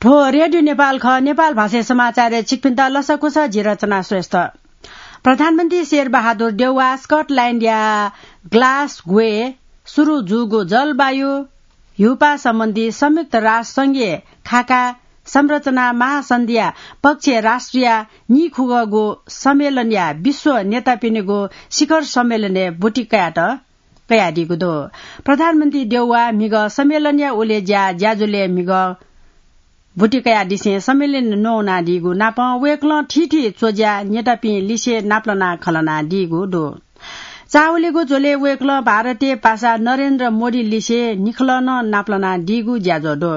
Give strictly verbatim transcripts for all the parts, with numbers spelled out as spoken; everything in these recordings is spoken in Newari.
थ्व रेडियो नेपाल खः। नेपाल भाषाय् समाचारय् छिकपिन्त लसकुस, जि रचना श्रेष्ठ। प्रधानमन्त्री शेरबहादुर देउवा स्कटल्याण्डया ग्लासगोय् सुरु जूगु जलवायु ह्यूपाः सम्बन्धी संयुक्त राष्ट्र संघीय खाका संरचना महासन्धिया पक्षीय राष्ट्रया नीखुगःगु सम्मेलनया विश्व नेतापिनिगु शिखर सम्मेलनय् ब्वति कयात कयादीगु दु। प्रधानमन्त्री देउवा म्हिगः सम्मेलनया उलेज्या ज्याझ्वलय् म्हिगः ब्वति कयादिसें सम्मेलन नवानादीगु नापं वय्कलं थीथी च्वज्या नेतापिं लिसे नापलाना खँल्हानादीगु दु। चावलिगु झ्वलय् वय्कलं भारतीय पासा नरेन्द्र मोदी लिसे निखलः नं नापलानादीगु ज्याझ्वः दु।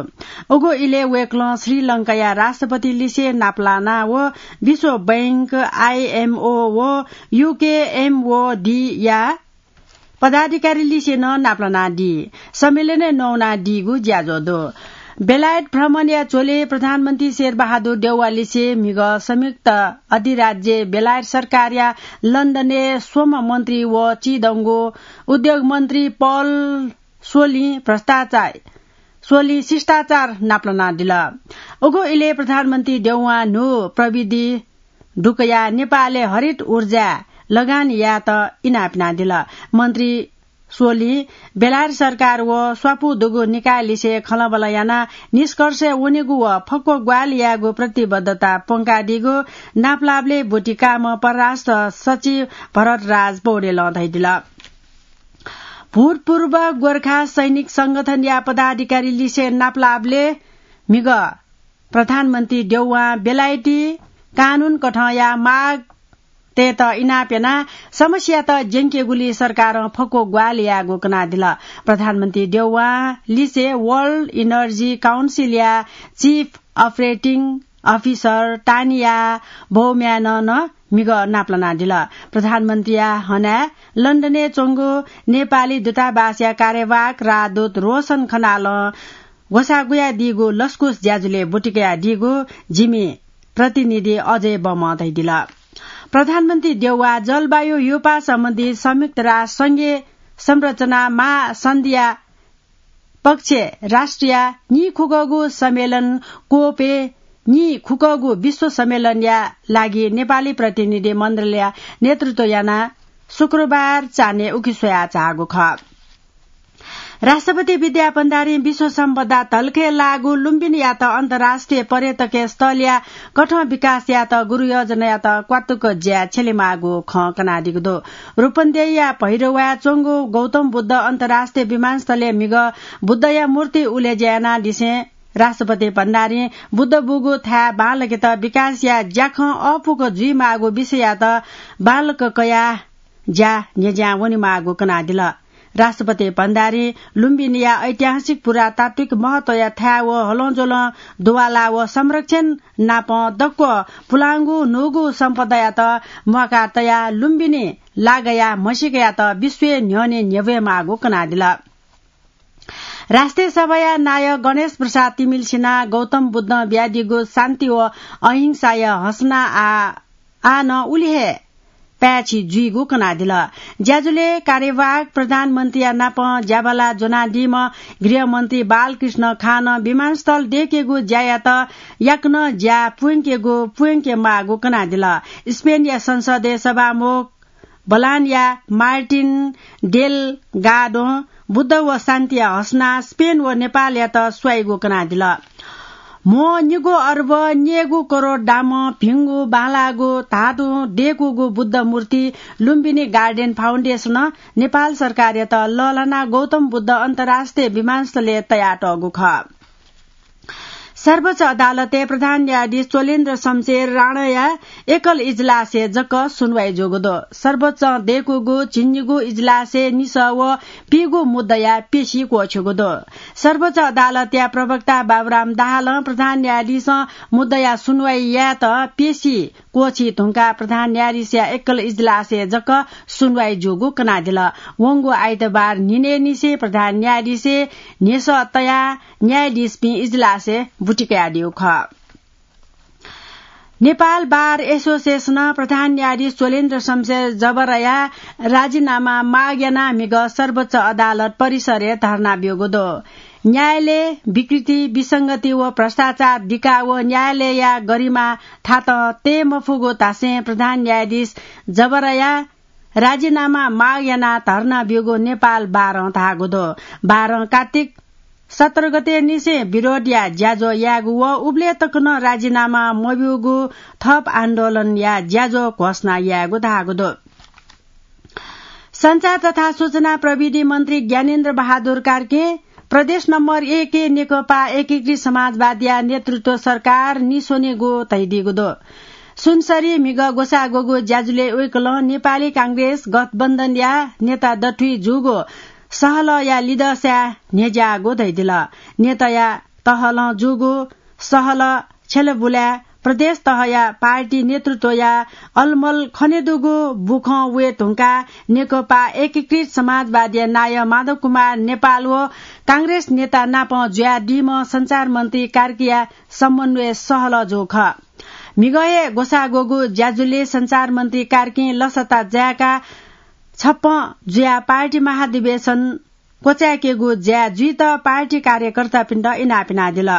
उगु इलय् वय्कलं श्रीलंकाया राष्ट्रपति लिसे नापलाना व विश्व बैंक, आईएमओ व यूकेएमओडीया पदाधिकारी लिसे नं नापलानादी। सम्मेलनय् नवानादीगु ज्याझ्वः दु। बेलायत भ्रमणया झ्वलय् प्रधानमन्त्री शेरबहादुर देउवा लिसे म्हिगः संयुक्त अधिराज्य बेलायत सरकारया लन्डनय् श्रम मन्त्री व चिदंगु उद्योग मन्त्री पल सोलिं भ्रष्टाचार, सोलिं शिष्टाचार नापलानादिल। उगु इलय् प्रधानमन्त्री देउवां न्हू प्रविधि दुकया नेपालय् हरित ऊर्जाय् लगान यायेत इनाप यानादिल। मन्त्री सोलिं बेलायत सरकार व स्वापू दुगु निकाय लिसे खँल्हाबल्हा यानाः निष्कर्षय् वनेगु व फक्व ग्वाहालि यायेगु प्रतिबद्धता प्वंकादीगु नापलाबलय् ब्वति काःम्ह परराष्ट्र सचिव भरतराज पौडेलं धयादिल। भूतपूर्व गोर्खा सैनिक संगठनया पदाधिकारी लिसे नापलाबलय् म्हिगः प्रधानमन्त्री देउवां बेलायती कानून कथंया माग तयेत इनाप यानाः समस्यात ज्यंकेगुली सरकारं फक्व ग्वाहालि यायेगु कनादिल। प्रधानमन्त्री देउवां लिसे World Energy Council या Chief Operating Officer तानिया बौम्यानं नं म्हिगः नापलानादिल। प्रधानमन्त्रीया हनाय् लन्डनय् च्वंगु नेपाली दूतावासया कार्यवाहक राजदूत रोशन खनालं ग्वसाः गुयादीगु लसकुस ज्याझ्वलय् ब्वति कयादीगु जिमि प्रतिनिधि अजय बमं धयादिल। प्रधानमन्त्री देउवा जलवायु ह्यूपाः सम्बन्धी संयुक्त राष्ट्र संघीय संरचना महासन्धिया पक्षीय राष्ट्रया नीखुगःगु सम्मेलन कोपय् नीखुगःगु विश्व सम्मेलनया लागि नेपाली प्रतिनिधि मण्डलया नेतृत्व यानाः शुक्रबार चान्हय् उखे स्वयाः झाःगु खः। राष्ट्रपति विद्या भण्डारीं विश्व सम्पदा धलखय् लाःगु लुम्बिनीयात अन्तर्राष्ट्रिय पर्यटकीय स्थलया कथं विकास यायेत गुरुयोजनायात क्वातुक ज्या छ्यलेमाःगु खँ कनादीगु दु। रूपन्देहीया भैरवाय् च्वंगु गौतम बुद्ध अन्तर्राष्ट्रिय विमानस्थलय् म्हिगः बुद्धया मूर्ति उलेज्या यानादिसें राष्ट्रपति भण्डारीं बुद्ध बूगु थाय् बांलाकेत विकासया ज्याखँ अःपुक जुइमाःगु विषययात बांलाक कयाः ज्या न्ह्यज्यां वनेमाःगु कनादिल। राष्ट्रपति भण्डारीं लुम्बिनीया ऐतिहासिक पुरातात्विक महत्वया थाय् व हलंज्वलं दुवाला व संरक्षण नापं दक्व पुलांगु न्हूगु सम्पदायात म्वाका तयाः लुम्बिनी लागाया म्हसीकायात विश्वय् न्ह्यःने न्ह्यब्वयेमाःगु कनादिल। राष्ट्रिय सभाया नायः गणेश प्रसाद तिमिल्सिनां गौतम बुद्धं बियादीगु शान्ति व अहिंसाया हसना आ, आः नं उलि हे पाय्छि जुइगु कनादिल। ज्याझ्वलय् कार्यवाहक प्रधानमन्त्रीया नापं ज्याबाला ज्वनादीम्ह गृहमन्त्री बालकृष्ण खानं विमानस्थल दय्केगु ज्यायात याकनं ज्या प्वंकेगु प्वंकेमाःगु कनादिल। स्पेनया संसदय् सभामुख बलानया मार्टिन डेलगाडों बुद्ध व शान्तिया हसना स्पेन व नेपालयात स्वाइगु कनादिल। म्हो निगू अर्ब न्यय्गू करोड दामं भिंगु बांलाःगु धातुं दय्कूगु बुद्ध मूर्ति लुम्बिनी गार्डन फाउन्डेसनं नेपाल सरकारयात लःल्हानाः गौतम बुद्ध अन्तर्राष्ट्रिय विमानस्थलय् तयातःगु खः। सर्वोच्च अदालतय् प्रधान न्यायाधीश चोलेन्द्र शमशेर राणाया एकल इजलासय् जक सुनवाई जूगु दु। सर्वोच्चं दय्कूगु झिंनिगू इजलासय् निसः व पीगू मुद्दाया पेशी क्वःछ्यूगु दु। सर्वोच्च अदालतया प्रवक्ता बाबुराम दाहालं प्रधान न्यायाधीशं मुद्दाया सुनवाई यायेत पेशी क्वःछी धुंकाः प्रधान न्यायाधीशया एकल इजलासय् जक सुनवाई जूगु कनादिल। वंगु आइतबार न्हिनय्निसें प्रधान न्यायाधीशय् न्ह्यसः तयाः न्यायाधीशपिं इजलासय् ब्वति कयादीगु खः। नेपाल बार एसोसिएसनं प्रधान न्यायाधीश चोलेन्द्र शमशेर जबराया राजीनामा माग यानाः म्हिगः सर्वोच्च अदालत परिसरय् धर्ना ब्यूगु दु। न्यायालय विकृति, विसंगति व भ्रष्टाचार दिका व न्यायालयया गरिमा थातं तये मफुगु धासें प्रधान न्यायाधीश जबरया राजीनामा माग यानाः धर्ना ब्यूगु नेपाल बारं धाःगु दु। बारं कार्तिक सत्र गते निसें विरोधया ज्याझ्वः यायेगु व उबलय् तक नं राजीनामा मब्यूगु थप आन्दोलनया ज्याझ्वः घोषणा यायेगु धाःगु दु। सञ्चार तथा सूचना प्रविधि मन्त्री ज्ञानेन्द्र बहादुर कार्कीं प्रदेश नम्बर एकय् नेकपा एकीकृत समाजवादीया नेतृत्व सरकार निस्वनेगु धयादीगु दु। सुनसरी म्हिगः ग्वसाः ग्वःगु ज्याझ्वलय् वय्कलं नेपाली कांग्रेस गठबन्धनया नेता दथुइ जूगु सहलहया लिदँसाय् न्ह्यज्याःगु धयादिल। नेताया तहलं जूगु सहलह छ्यलाबुलाय् प्रदेश तहया पार्टी नेतृत्वया अलमल खनेदुगु बुखँ वये धुंकाः नेकपा एकीकृत समाजवादीया नायः माधव कुमार नेपाल व कांग्रेस नेता नाप जुयादीम्ह सञ्चार मन्त्री कार्कीया समन्वय सहलह जूगु खः। म्हिगः हे ग्वसाः ग्वःगु ज्याझ्वलय् सञ्चार मन्त्री कार्कीं लसता जाय्काः छप्पँ जुयाः पार्टी महाधिवेशन क्वचाय्केगु ज्या जुइत पार्टी कार्यकर्तापिन्त इनाप यानादिल।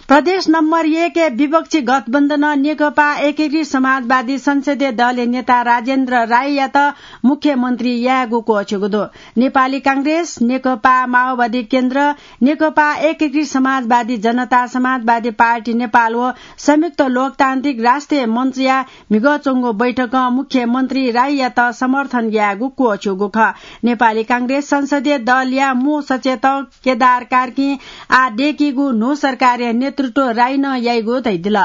प्रदेश नम्बर एकय् विपक्षी गठबन्धनं नेकपा एकीकृत समाजवादी संसदीय दलया नेता राजेन्द्र राईयात मुख्यमन्त्री यायेगु क्वःछ्यूगु दु। नेपाली कांग्रेस, नेकपा माओवादी केन्द्र, नेकपा एकीकृत समाजवादी जनता समाजवादी पार्टी नेपाल व संयुक्त लोकतान्त्रिक राष्ट्रिय मञ्चया म्हिगः च्वंगु बैठकं मुख्यमन्त्री राईयात समर्थन यायेगु क्वःछ्यूगु खः। नेपाली कांग्रेस संसदीय दलया मू सचेतक केदार कार्कीं आः दय्कीगु न्हू सरकारया नेतृत्व राईनं याइगु धयादिल।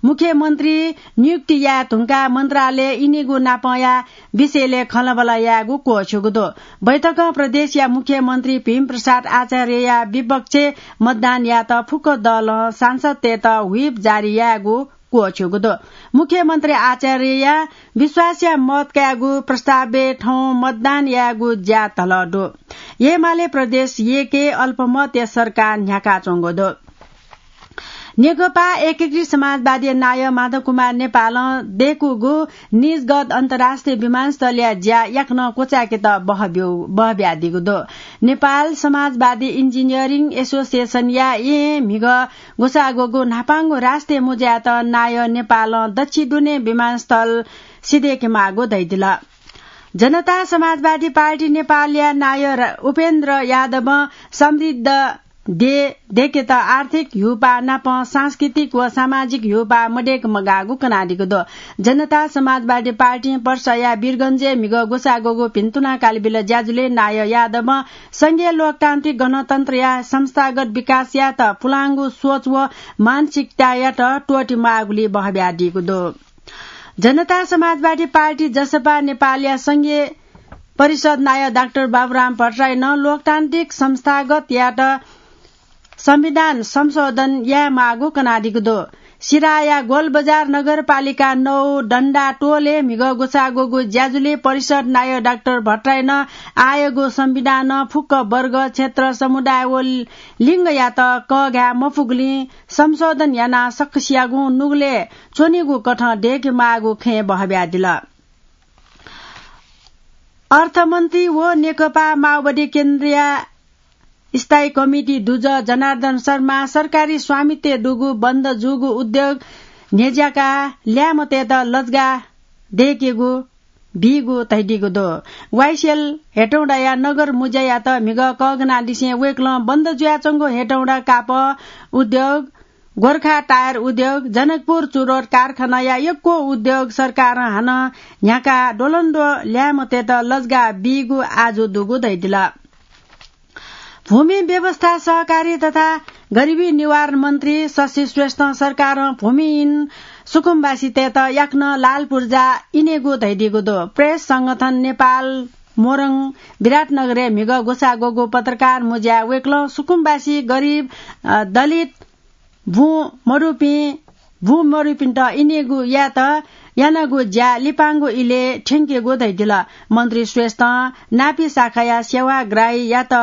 मुख्यमन्त्री नियुक्ति याये धुंकाः मन्त्रालय इनेगु नापंया विषयलय् खँल्हाबल्हा यायेगु क्वःछ्यूगु दु। बैठकं प्रदेशया मुख्यमन्त्री भीमप्रसाद आचार्यया विपक्षय् मतदान यायेत फुक्क दलं सांसदतय्त whip जारी यायेगु क्वःछ्यूगु दु। मुख्यमन्त्री आचार्यया विश्वासया मत कायेगु प्रस्तावय् थौं मतदान यायेगु ज्या धलः दु। एमाले प्रदेश एकय् अल्पमतया सरकार न्ह्याकाच्वंगु दु। नेकपा एकीकृत समाजवादीया नायः माधव कुमार नेपालं दय्कूगु निजगत अन्तर्राष्ट्रिय विमानस्थलया ज्या याकनं क्वचाय्केत बहब्यू-, बहब्यादीगु दु। नेपाल समाजवादी इन्जिनियरिङ एसोसिएसनया येँय् म्हिगः ग्वसाः ग्वःगु न्हापांगु राष्ट्रिय मुँज्याय्त नायः नेपालं दच्छि दुने विमानस्थल सिधय्केमाःगु धयादिल। जनता समाजवादी पार्टी नेपालया नायः र-, उपेन्द्र यादवं समृद्ध देय् दय्केत आर्थिक ह्यूपाः नाप सांस्कृतिक व सामाजिक ह्यूपाः मदय्के मगाःगु कनादीगु दु। जनता समाजवादी पार्टीं पर्साया वीरगंजय् म्हिगः ग्वसाः ग्वःगु भिन्तुना कालबिल ज्याझ्वलय् नायः यादवं संघीय लोकतान्त्रिक गणतन्त्रया संस्थागत विकास यायेत पुलांगु सोच व मानसिकतायात त्वःति माःगुलिइ बहब्यादीगु दु। जनता समाजवादी पार्टी जसपा नेपालया संघीय परिषद नायः डाक्टर बाबुराम भट्टराईं नं लोकतान्त्रिक संस्थागत यायेत संविधान संशोधन यायेमाःगु कनादीगु दु। सिराया गोलबजार नगरपालिका नौ डण्डा टोलय् म्हिगः ग्वसाः ग्वःगु ज्याझ्वलय् परिषद नायः डाक्टर भट्टराईं आःयागु संविधानं फुक्क वर्ग, क्षेत्र, समुदाय व लिङ्गयात कःघाये मफुगुलिं संशोधन यानाः सकसियागुं नुगलय् च्वनीगु कथं दय्केमाःगु खँय् बहब्यादिल। अर्थमन्त्री व नेकपा माओवादी केन्द्रया स्थायी कमिटी दुजः जनार्दन शर्मा सरकारी स्वामित्वय् दुगु बन्द जूगु उद्योग न्ह्यज्याकाः ल्याय्म्हतय्त लजगाः दय्केगु बीगु धयादीगु दु। वाइसिएल हेटौडाया नगर मुज्यायात म्हिगः कःघानादिसें वय्कलं बन्द जुयाच्वंगु हेटौडा कापः उद्योग, गोर्खा टायर उद्योग, जनकपुर चुरोट कारखानाया यक्व उद्योग सरकारं हानं न्ह्याकाः द्वलंद्वः ल्याय्म्हतय्त लजगाः बीगु आजु दुगु धयादिल। भूमि व्यवस्था, सहकारी तथा गरिबी निवारण मन्त्री शशि श्रेष्ठं सरकारं भूमिहीन सुकुम्बासीतय्त याकनं लाल पूर्जा इनेगु धयादीगु दु। प्रेस संगठन नेपाल मोरङ विराटनगरय् म्हिगः ग्वसाः ग्वःगु पत्रकार मुँज्याय् वय्कलं सुकुम्बासी, गरिब, अ, दलित, बुँ मदुपिं, बुँ मदुपिन्त इनेगु यायेत यानागु ज्या लिपांगु इलय् थ्यंकेगु धयादिल। मन्त्री श्रेष्ठं नापी शाखाया सेवाग्राहीयात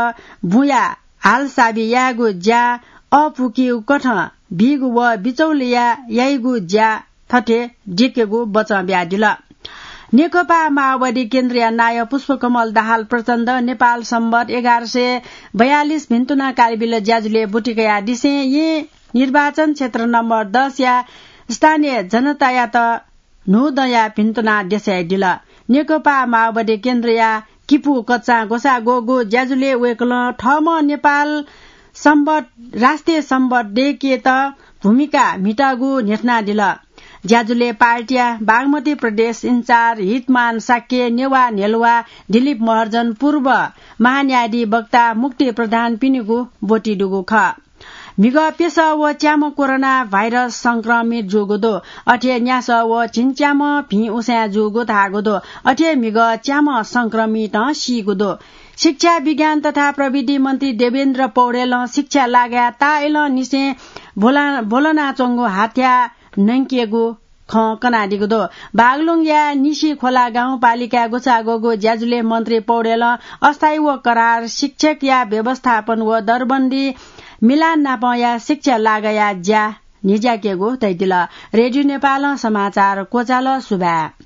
बुँया हालसाबी यायेगु ज्या अःपुकीगु कथं बीगु व बिचौलिया याइगु ज्या थथे दिकेगु बचं बियादिल। नेकपा माओवादी केन्द्रया नायः पुष्पकमल दाहाल प्रचण्ड नेपाल सम्बत एघार सय बयालिस भिन्तुना कालबिल ज्याजुले ब्वति कयादिसें येँ निर्वाचन क्षेत्र नम्बर दसया स्थानीय जनतायात न्हूदँया भिन्तुना देछाय् दिल। नेकपा माओवादी केन्द्रया किपु कच्चां ग्वसाः ग्वःगु ज्याजुले वय्कलं थःम्हं नेपाल सम्बत, राष्ट्रिय सम्बत दय्केत भूमिका म्हिताःगु न्ह्यथनादिल। ज्याजुले पार्टीया बागमती प्रदेश इन्चार्ज हितमान शाक्य, नेवाः न्ह्यलुवा दिलीप महर्जन, पूर्व महान्यायाधीश वक्ता मुक्ति प्रधानपिनिगु ब्वति दुगु खः। म्हिगः प्यसः व च्याम्ह कोरोना भाइरस संक्रमित जूगु दु। अथे न्यासः व झिंच्याम्ह भिं उसाँय् जूगु धाःगु दु। अथे म्हिगः च्याम्ह संक्रमितं सीगु दु। शिक्षा, विज्ञान तथा प्रविधि मन्त्री देवेन्द्र पौडेलं शिक्षा लागाय् ताःइलंनिसें ब्वला-, ब्वलनाच्वंगु हाथ्या नंकेगु खँ कनादीगु दु। बागलुङया निसी खोला गाउँपालिकाय् ग्वसाः ग्वःगु ज्याजुले मन्त्री पौडेलं अस्थायी व करार शिक्षकया व्यवस्थापन व दरबन्दी मिलान नापंया शिक्षा लागाया ज्या न्हिज्याकेगु धयादिल। रेडियो नेपालं समाचार क्वचाल। सुभाय्।